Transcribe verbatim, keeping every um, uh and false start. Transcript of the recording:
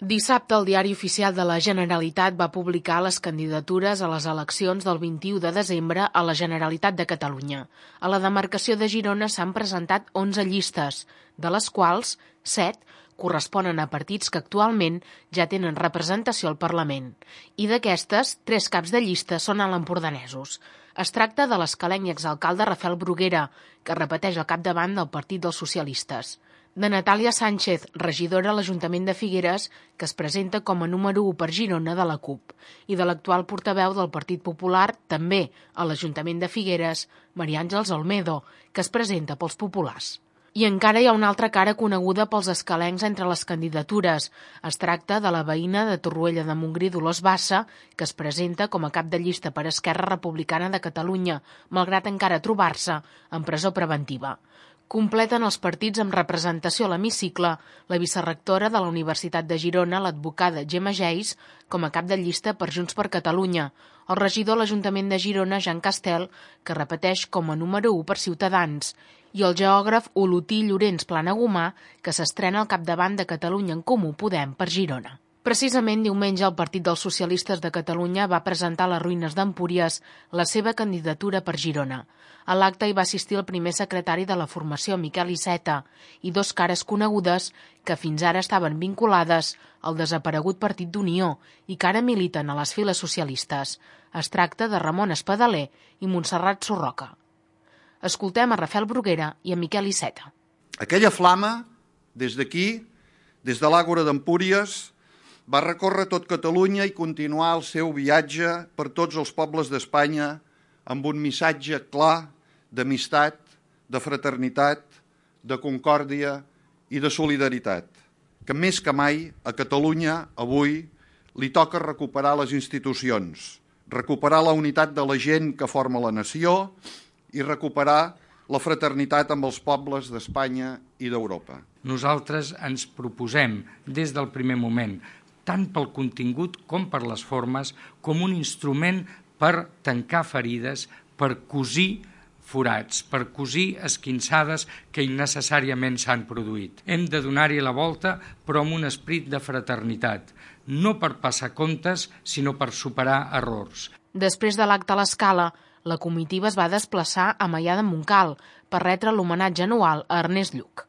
Dissabte, el Diari Oficial de la Generalitat va publicar les candidatures a les eleccions del vint-i-u de desembre a la Generalitat de Catalunya. A la demarcació de Girona s'han presentat onze llistes, de les quals set corresponen a partits que actualment ja tenen representació al Parlament. I d'aquestes, tres caps de llista són alempordanesos. Es tracta de l'escalenc i exalcalde Rafael Bruguera, que repeteix al capdavant del Partit dels Socialistes; de Natàlia Sánchez, regidora a l'Ajuntament de Figueres, que es presenta com a número u per Girona de la CUP, i de l'actual portaveu del Partit Popular, també a l'Ajuntament de Figueres, Maria Àngels Olmedo, que es presenta pels populars. I encara hi ha una altra cara coneguda pels escalencs entre les candidatures. Es tracta de la veïna de Torroella de Montgrí, Dolors Bassa, que es presenta com a cap de llista per Esquerra Republicana de Catalunya, malgrat encara trobar-se en presó preventiva. Completen els partits amb representació a l'hemicicle la vicerectora de la Universitat de Girona, l'advocada Gemma Geis, com a cap de llista per Junts per Catalunya, el regidor a l'Ajuntament de Girona, Jean Castel, que repeteix com a número u per Ciutadans, i el geògraf Olotí Llorenç Planagumà, que s'estrena al capdavant de Catalunya en Comú Podem per Girona. Precisament diumenge el Partit dels Socialistes de Catalunya va presentar a les ruïnes d'Empúries la seva candidatura per Girona. A l'acte hi va assistir el primer secretari de la formació, Miquel Iceta, i dos cares conegudes que fins ara estaven vinculades al desaparegut Partit d'Unió i que ara militen a les files socialistes. Es tracta de Ramon Espadaler i Montserrat Sorroca. Escoltem a Rafael Bruguera i a Miquel Iceta. Aquella flama, des d'aquí, des de l'Àgora d'Empúries, va recórrer tot Catalunya i continuar el seu viatge per tots els pobles d'Espanya amb un missatge clar d'amistat, de fraternitat, de concòrdia i de solidaritat, que més que mai a Catalunya avui li toca recuperar les institucions, recuperar la unitat de la gent que forma la nació i recuperar la fraternitat amb els pobles d'Espanya i d'Europa. Nosaltres ens proposem des del primer moment, tant pel contingut com per les formes, com un instrument per tancar ferides, per cosir forats, per cosir esquinçades que innecessàriament s'han produït. Hem de donar-hi la volta, però amb un esperit de fraternitat, no per passar comptes, sinó per superar errors. Després de l'acte a l'Escala, la comitiva es va desplaçar a Maià de Montcal per retre l'homenatge anual a Ernest Lluch.